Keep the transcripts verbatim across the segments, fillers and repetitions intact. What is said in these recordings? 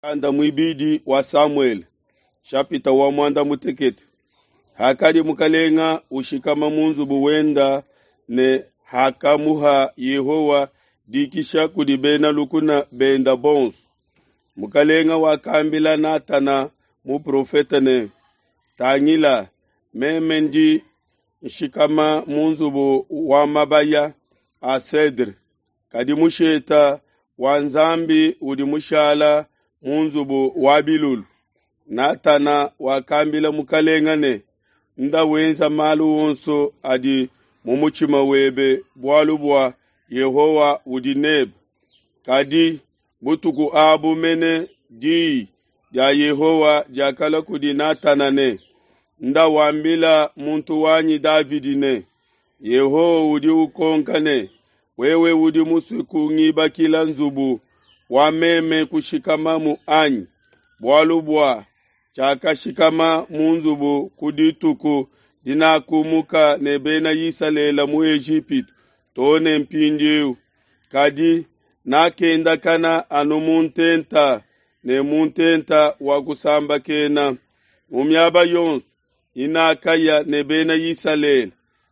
Mukanda muibidi wa Samuele, nshapita wa muanda mutekete. Hakadi mukalenga ushikama mu nzubu wenda ne hakamuha Yehowa dikisha kudi bena lukuna benda bonso. Mukalenga wakambila Natana muprofete ne, Tangila, meme ndi nshikama mu nzubu wa mabaya a cedre, kadi musheta wa Nzambi udi mushala mu nzubu wa bilulu. Natana wakambila mukalenga ne, Nda wenza malu onso adi mu mutshima webe bualu bua Yehowa udi nebe. Kadi butuku abu mene diyi dia Yehowa diakalua kudi Natana ne, Nda wambila muntu wanyi Davidi ne, Yehowa udi ukonka ne, wewe udi musue kungibakila nzubu wa meme kushikamamu anyi? Bualu bua tshiakashikama mu nzubu ku dituku dinakumuka ne bena Isalele mu Ejipitu too ne mpindieu, kadi nakendakana anu mu ntenta ne mu ntenta wa kusambakena. Mu miaba yonso inakaya ne bena Isalele,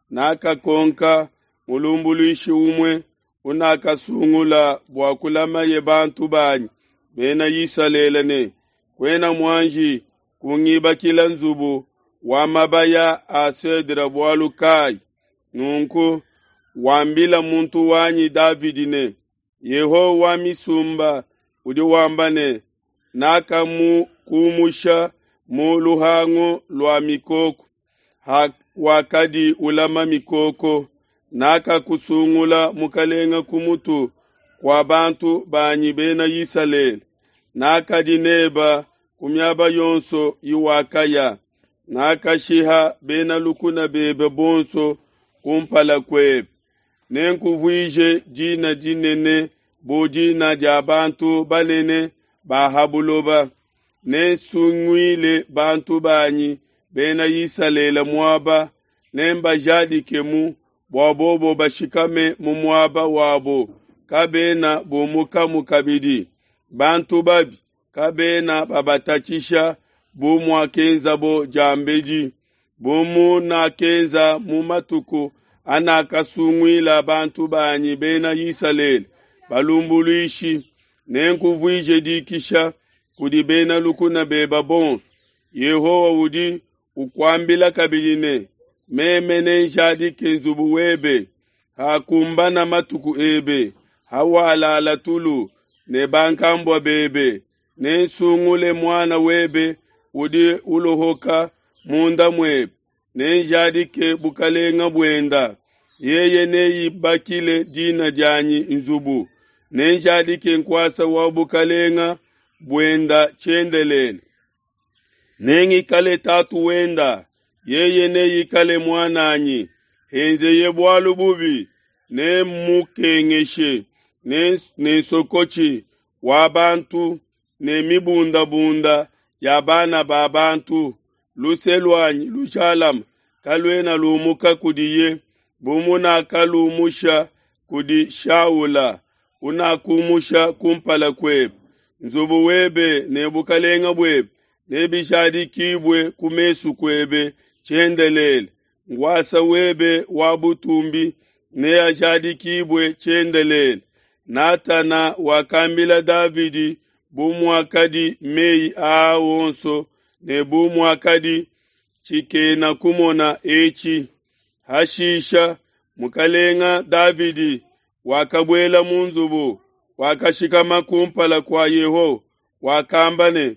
nakakonka mulumbuluishi umue unakasungula bua kulamaye bantu banyi bena Isalele ne, Kuena muanji kungibakila nzubu wa mabaya a cedre bualu kayi? Nunku wambila muntu wanyi Davidi ne, Yehowa wa misumba udi wamba ne, Nakamukumusha mu luhangu lua mikoko, wakadi ulama mikoko, nakakusungula mukalenga ku mutu kua bantu banyi bena Isalele. Nakadi neba ku miaba yonso iwakaya, nakashiha bena lukuna bebe bonso kumpala kuebe. Nenkuvuije dina dinene bu dina dia bantu banene ba ha buloba. Nensunguile bantu banyi bena Isalele muaba, nembajadikemu bua bobo bashikame mu muaba wabo, kabena bumukamu kabidi. Bantu babi kabena babatatshisha bu muakenzabo diambedi, bu munakenza mu matuku anakasunguila bantu banyi bena Isalele balumbuluishi. Nenkuvuije dikisha kudi bena lukuna bebe bonso. Yehowa udi ukuambila kabidi ne, Meme nenjadike nzubu webe hakumbana matuku ebe, hawalala tulu ne bankambua bebe. Nensungule muana webe udi ulohoka munda muebe, nenjadike bukalenga buenda. Yeye neibakile dina dianyi nzubu, nenjadike nkuasa wa bukalenga buenda tshiendelele. Nengikale tatu wenda, yeye neikale muananyi. Henzeye bualu bubi, nemmukengeshe ne nsokotshi wa bantu ne mibundabunda ya bana ba bantu. Luse luanyi lujalame kaluena lumuka kudiye, bu munakalumusha kudi Shaula unakumusha kumpala kuebe. Nzubu webe ne bukalenga buebe nebijadikibue ku mesu kuebe tshiendelele, nkuasa webe wa butumbi neajadikibue tshiendelele. Natana wakambila Davidi bu muakadi meyi aa onso ne bu muakadi tshikena kumona etshi. Hashisha mukalenga Davidi wakabuela mu nzubu, wakashikama kumpala kua Yehowa, wakamba ne,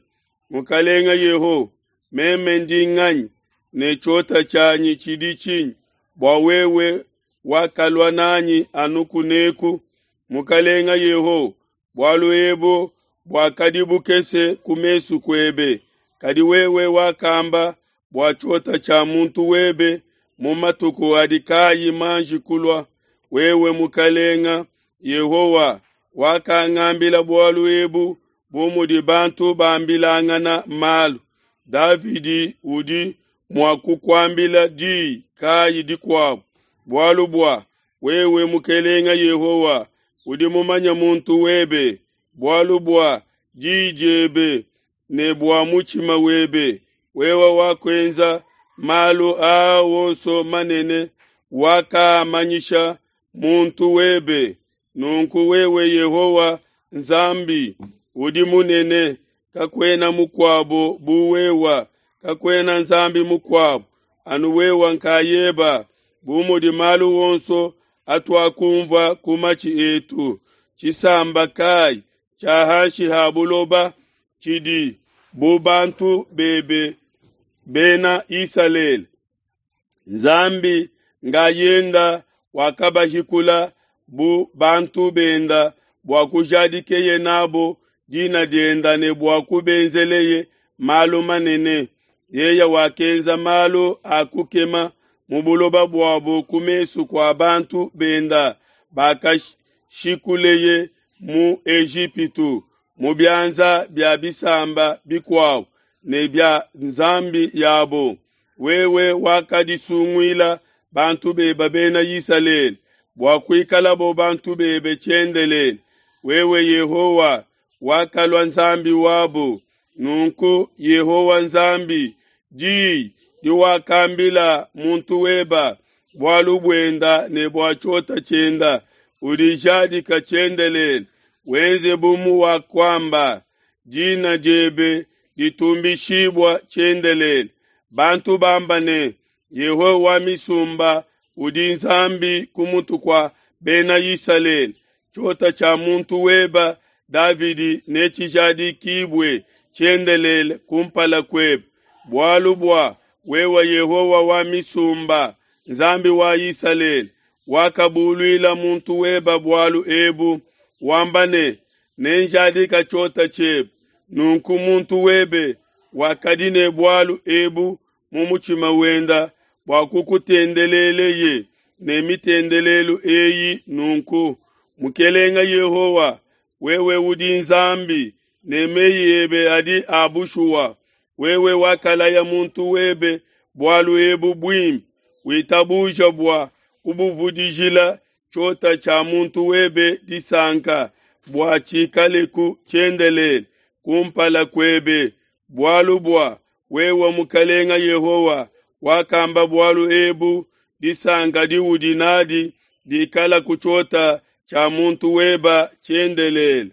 Mukalenga Yehowa, meme ndi nganyi ne tshiota tshianyi tshidi tshinyi bua wewe wakalua nanyi anu kuneku? Mukalenga Yehowa, bualu ebu buakadi bukese ku mesu kuebe, kadi wewe wakamba bua tshiota tshia muntu webe mu matuku adi kayi manji kulua. Wewe Mukalenga Yehowa wakangambila bualu ebu bu mudi bantu bambilangana malu. Davidi udi mua kukuambila diyi kayi dikuabu, bualu bua wewe Mukalenga Yehowa udi mumanye muntu webe, bualu bua diyi diebe ne bua mutshima webe, wewe wakuenza malu aa onso manene, wakaamanyisha muntu webe. Nunku wewe Yehowa Nzambi udi munene, kakuena mukuabo bu wewe, kakuena Nzambi mukuabo, anu wewe nkayeba, bu mudi malu onso atuakunvua ku matshi etu. Tshisamba kai tshia hanshi ha buloba tshidi bu bantu bebe Bena Isalele? Nzambi ngayenda wakabahikula bu bantu benda bua kujadikeye nabo dina dienda ne bua kubenzeleye malu manene. Yeye wakenza malu a kukema mu buloba buabo ku mesu kua bantu benda bakashikuleye mu Ejipitu, mu bianza bia bisamba bikuabo ne bia nzambi yabo. Wewe wakadisunguila bantu bebe Bena Isalele bua kuikalabo bantu bebe tshiendelele. Wewe Yehowa wakalua Nzambi wabo. Nunku Yehowa Nzambi, diyi diwakambila muntu weba bualu buenda ne bua tshiota tshienda, udijadika tshiendelele. Wenze bu muwakuamba, dina diebe ditumbishibua tshiendelele. Bantu bamba ne, Yehowa wa misumba udi Nzambi ku mutu kua Bena Isalele. Tshiota tshia muntu weba Davidi netshijadikibue tshiendelele kumpala kuebe, bualu bua wewe Yehowa wa misumba, Nzambi wa Isalele, wakabuluila muntu weba bualu ebu, wamba ne, Nenjadika tshiota tshiebe. Nunku muntu webe wakadi ne bualu ebu mu mutshima wenda bua kukutendeleleye ne mitendelelu eyi nunku. Mukelenge Yehowa, wewe udi Nzambi, ne meyi ebe adi a bushuwa. Wewe wakalaya muntu webe bualu ebu buimpe, witabuja bua kubuvudijila tshiota tshia muntu webe disanka, bua tshikaleku tshiendelele kumpala kuebe, bualu bua wewe Mukelenge Yehowa wakamba bualu ebu, disanka diudi nadi dikala ku tshiota tshia muntu weba tshiendelele.